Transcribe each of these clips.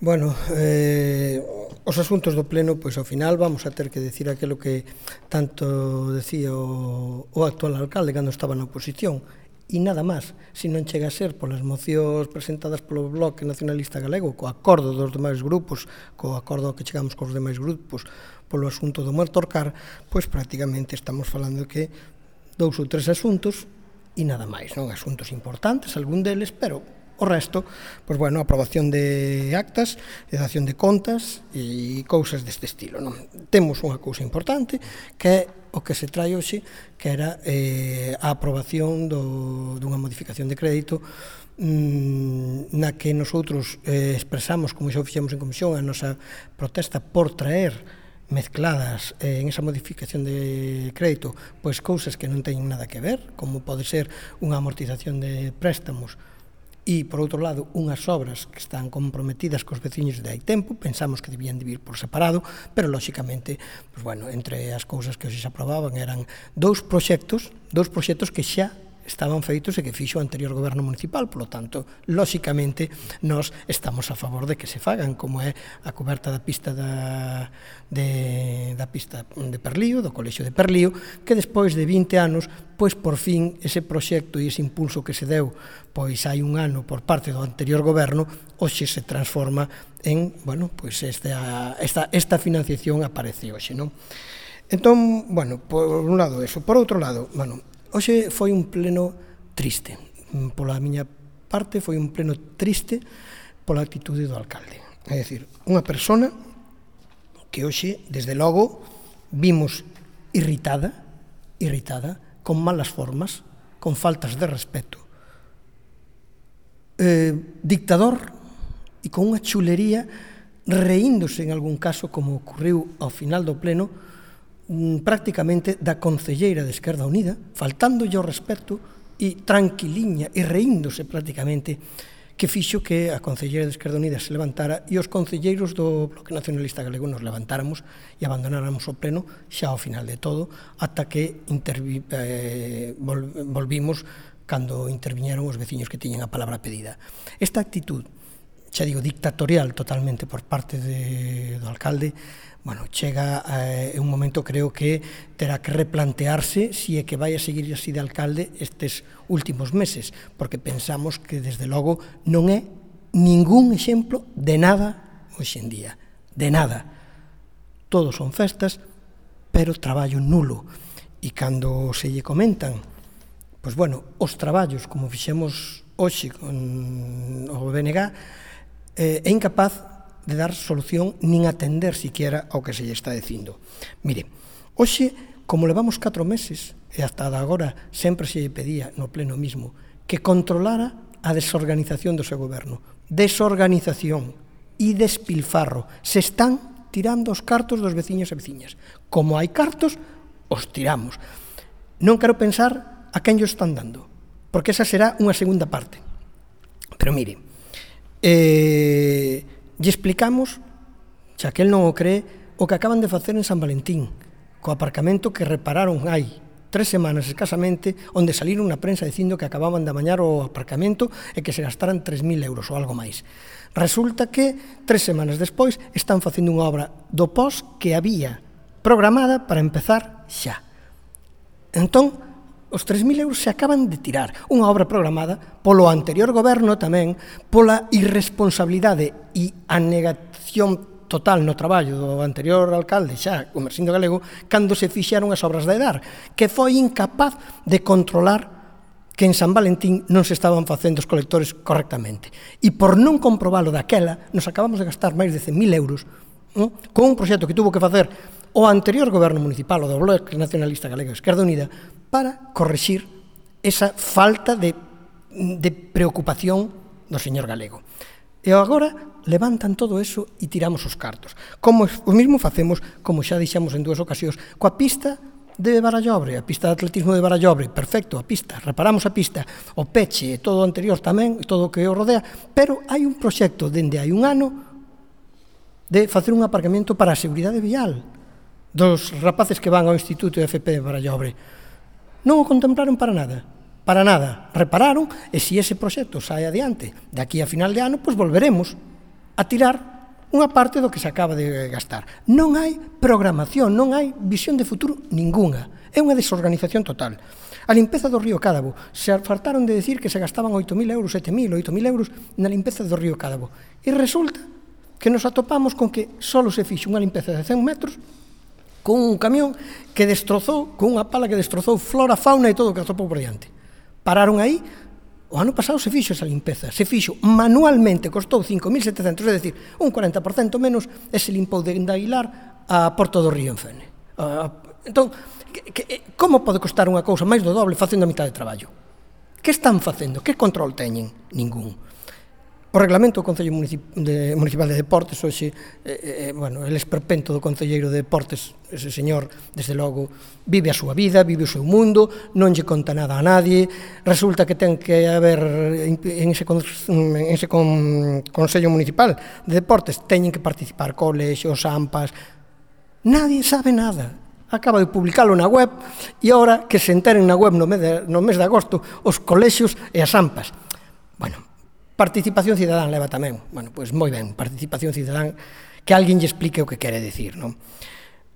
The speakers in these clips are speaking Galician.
Bueno, os asuntos do pleno, pois ao final vamos a ter que decir aquilo que tanto decía o actual alcalde cando estaba na oposición, e nada máis, se non chega a ser polas mocións presentadas polo Bloque Nacionalista Galego, co acordo dos demais grupos, co acordo que chegamos cos demais grupos polo asunto do Muertorcar, pois prácticamente estamos falando que 2 ou 3 asuntos e nada máis, non? Asuntos importantes, algún deles, pero o resto, pois bueno, aprobación de actas, de dación de contas e cousas deste estilo, non? Temos unha cousa importante que é o que se trae hoxe, que era a aprobación dunha modificación de crédito na que nosotros expresamos, como xa o fixemos en comisión, a nosa protesta por traer mezcladas en esa modificación de crédito pois cousas que non teñen nada que ver, como pode ser unha amortización de préstamos e, por outro lado, unhas obras que están comprometidas cos veciños de hai tempo, pensamos que debían de vir por separado, pero, lóxicamente, pues, bueno, entre as cousas que hoxe se aprobaban eran dous proxectos que xa estaban feitos e que fixo o anterior goberno municipal, polo tanto, lóxicamente, nós estamos a favor de que se fagan, como é a coberta da pista da pista de Perlío, do colexio de Perlío, que despois de 20 anos, pois por fin ese proxecto e ese impulso que se deu pois hai un ano por parte do anterior goberno, hoxe se transforma en, bueno, pois esta financiación aparece hoxe, non? Entón, bueno, por un lado eso. Por outro lado, bueno, hoxe foi un pleno triste. Pola miña parte foi un pleno triste pola actitude do alcalde. É dicir, unha persona que hoxe, desde logo, vimos irritada, con malas formas, con faltas de respeto, dictador e con unha chulería, reíndose en algún caso, como ocurriu ao final do pleno, prácticamente da concelleira de Esquerda Unida, faltándolle o respeto e tranquiliña e reíndose prácticamente, que fixo que a concelleira de Esquerda Unida se levantara e os concelleiros do Bloque Nacionalista Galego nos levantáramos e abandonáramos o pleno xa ao final de todo, ata que volvimos cando interviñeron os veciños que tiñen a palabra pedida. Esta actitud, xa digo, dictatorial totalmente por parte do alcalde, bueno, chega un momento, creo que terá que replantearse se é que vai a seguir así de alcalde estes últimos meses, porque pensamos que, desde logo, non é ningún exemplo de nada hoxe en día, de nada. Todos son festas, pero traballo nulo. E cando se lle comentan, pois bueno, os traballos, como fixemos hoxe con o BNG, é incapaz de dar solución nin atender siquiera ao que se lle está dicindo. Mire, hoxe, como levamos 4 meses, e hasta agora sempre se lle pedía no pleno mismo, que controlara a desorganización do seu goberno. Desorganización e despilfarro. Se están tirando os cartos dos veciños e veciñas. Como hai cartos, os tiramos. Non quero pensar a quen llo están dando, porque esa será unha segunda parte. Pero mire, lle explicamos, xa que el non o cree, o que acaban de facer en San Valentín, co aparcamento que repararon hai 3 semanas escasamente, onde saliron na prensa dicindo que acababan de amañar o aparcamento e que se gastaran 3.000 euros ou algo máis. Resulta que 3 semanas despois están facendo unha obra do POS que había programada para empezar xa. Entón, os 3.000 euros se acaban de tirar. Unha obra programada polo anterior goberno tamén, pola irresponsabilidade e a negación total no traballo do anterior alcalde, xa, o Mersindo Galego, cando se fixeron as obras da EDAR, que foi incapaz de controlar que en San Valentín non se estaban facendo os colectores correctamente. E por non comprobalo daquela, nos acabamos de gastar máis de 100.000 euros con un proxecto que tuvo que facer o anterior goberno municipal, o do Bloque Nacionalista Galego e Esquerda Unida, para corrixir esa falta de preocupación do señor Galego. E agora levantan todo eso e tiramos os cartos. Como o mesmo facemos, como xa dixemos en 2 ocasións, coa pista de Barallobre, a pista de atletismo de Barallobre, perfecto, a pista, reparamos a pista, o peche e todo o anterior tamén, todo o que o rodea, pero hai un proxecto dende hai un ano de facer un aparcamento para a seguridade vial dos rapaces que van ao Instituto FP de Barallobre. Non o contemplaron para nada. Para nada. Repararon, e se ese proxecto sai adiante de aquí a final de ano, pois volveremos. a tirar unha parte do que se acaba de gastar. Non hai programación, non hai visión de futuro ninguna. É unha desorganización total. A limpeza do río Cádabo, se fartaron de decir que se gastaban 8.000 euros, 7.000, 8.000 euros na limpeza do río Cádabo. E resulta que nos atopamos con que só se fixo unha limpeza de 100 metros con un camión que destrozou, con unha pala que destrozou flora, fauna e todo o que atopou por diante. Pararon aí. O ano pasado se fixo esa limpeza, se fixo manualmente, costou 5.700, é dicir, un 40% menos, e se limpou de Aguilar a Porto do Río en Fene. Entón, como pode costar unha cousa máis do doble facendo a mitad de traballo? Que están facendo? Que control teñen? Ningún. O reglamento do Concello Municipal de Deportes, hoxe, el esperpento do Concelleiro de Deportes, ese señor, desde logo, vive a súa vida, vive o seu mundo, non lle conta nada a nadie, resulta que ten que haber, en ese Concello Municipal de Deportes, teñen que participar colexios, AMPAs, nadie sabe nada. Acaba de publicalo na web e agora que se enteren na web no mes de agosto os colexios e as AMPAs. Bueno, participación cidadán leva tamén. Bueno, pois moi ben, participación cidadán, que alguén lle explique o que quere dicir, non?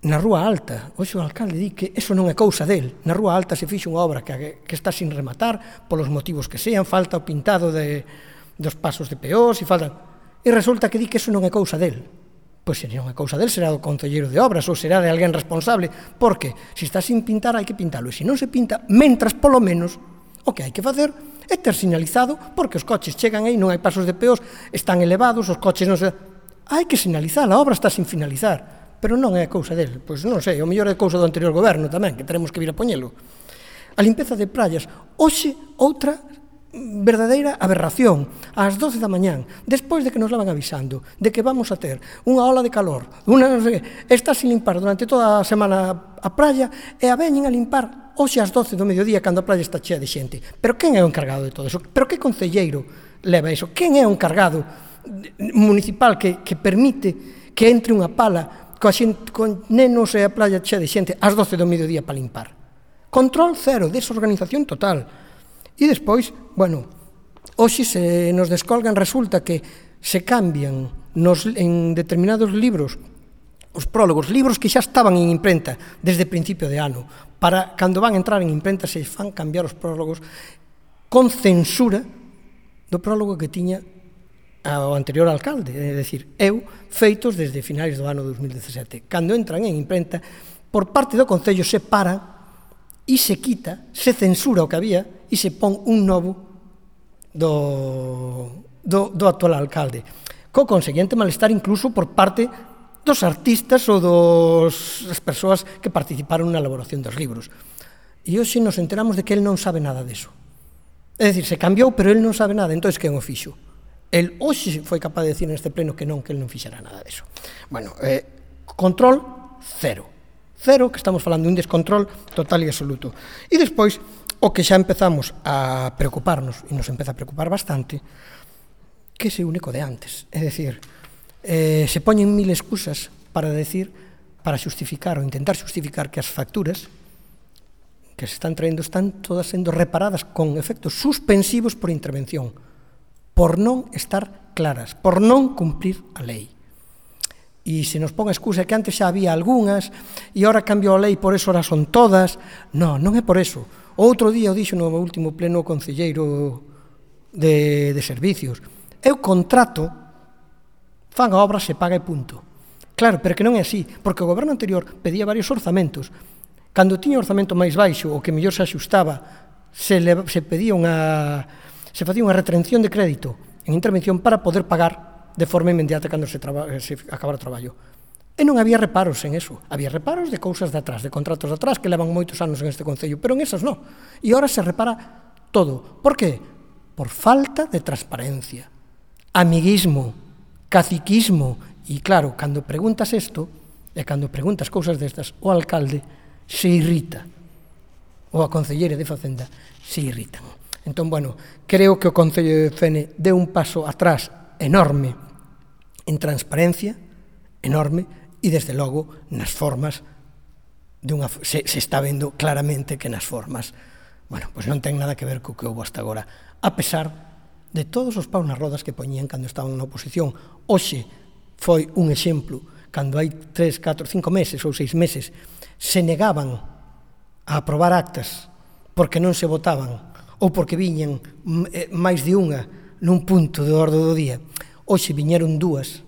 Na Rúa Alta, hoxe o alcalde di que eso non é cousa del. Na Rúa Alta se fixe unha obra que está sin rematar, polos motivos que sean, falta o pintado dos pasos de peós, e resulta que di que eso non é cousa del. Pois se non é cousa del, será do concelleiro de obras ou será de alguén responsable, porque se está sin pintar hai que pintalo, e se non se pinta, mentras polo menos o que hai que facer é ter sinalizado, porque os coches chegan aí, non hai pasos de peós, están elevados, os coches non se... Hai que sinalizar, a obra está sin finalizar, pero non é cousa del. Pois non sei, o mellor é cousa do anterior goberno tamén, que teremos que vir a poñelo. A limpeza de praias, hoxe outra verdadeira aberración, ás 12 da mañán, despois de que nos levan avisando de que vamos a ter unha ola de calor, está sin limpar durante toda a semana a praia, e a veñen a limpar hoxe ás 12 do mediodía cando a praia está chea de xente. Pero quen é o encargado de todo eso? Pero que concelleiro leva iso? Quen é o encargado municipal que permite que entre unha pala con nenos e a praia chea de xente ás 12 do mediodía para limpar? Control cero, desorganización total. E despois, bueno, hoxe se nos descolgan, resulta que se cambian en determinados libros os prólogos, libros que xa estaban en imprenta desde principio de ano, para cando van entrar en imprenta se fan cambiar os prólogos con censura do prólogo que tiña o anterior alcalde, é dicir, feitos desde finais do ano 2017. Cando entran en imprenta, por parte do Concello se para e se quita, se censura o que había e se pon un novo do actual alcalde. Co conseguinte malestar incluso por parte dos artistas ou das persoas que participaron na elaboración dos libros. E hoxe nos enteramos de que el non sabe nada deso. É dicir, se cambiou, pero el non sabe nada, entón quen o fixo? El hoxe foi capaz de decir neste pleno que non, que el non fixera nada deso. Bueno, control cero. Cero, que estamos falando de un descontrol total e absoluto. E despois, o que xa empezamos a preocuparnos, e nos empeza a preocupar bastante, que ese único de antes. É dicir, se poñen mil excusas para xustificar ou intentar xustificar que as facturas que se están traendo están todas sendo reparadas con efectos suspensivos por intervención, por non estar claras, por non cumprir a lei. E se nos pon a excusa que antes xa había algunhas e agora cambiou a lei, por eso ahora son todas. Non é por eso. Outro día o dixo no último pleno concelleiro de servicios. Eu contrato, fan a obra, se paga e punto. Claro, pero que non é así, porque o goberno anterior pedía varios orzamentos. Cando tiña o orzamento máis baixo, o que mellor se axustaba, se facía unha retención de crédito en intervención para poder pagar de forma inmediata cando se acabara o traballo. E non había reparos en eso. Había reparos de cousas de atrás, de contratos de atrás, que levan moitos anos en este concello, pero en esas non. E agora se repara todo. Por qué? Por falta de transparencia, amiguismo, caciquismo. E claro, cando preguntas isto, e cando preguntas cousas destas, o alcalde se irrita, ou a concelleira de Facenda se irritan. Entón, bueno, creo que o Concello de Fene deu un paso atrás enorme en transparencia, enorme, e desde logo nas formas se está vendo claramente que nas formas, bueno, pois non ten nada que ver co que houve hasta agora, a pesar de todos os paus nas rodas que poñían cando estaban na oposición. Hoxe foi un exemplo, cando hai 3, 4, 5 meses ou 6 meses se negaban a aprobar actas porque non se votaban ou porque viñan máis de unha nun punto de orde do día. Hoxe viñeron dúas,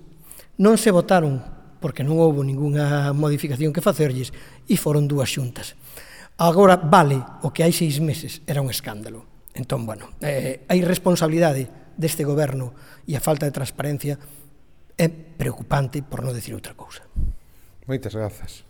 non se votaron porque non houve ningunha modificación que facerlles e foron dúas xuntas. Agora vale o que hai 6 meses, era un escándalo. Entón, bueno, a irresponsabilidade deste goberno e a falta de transparencia é preocupante, por non decir outra cousa. Moitas grazas.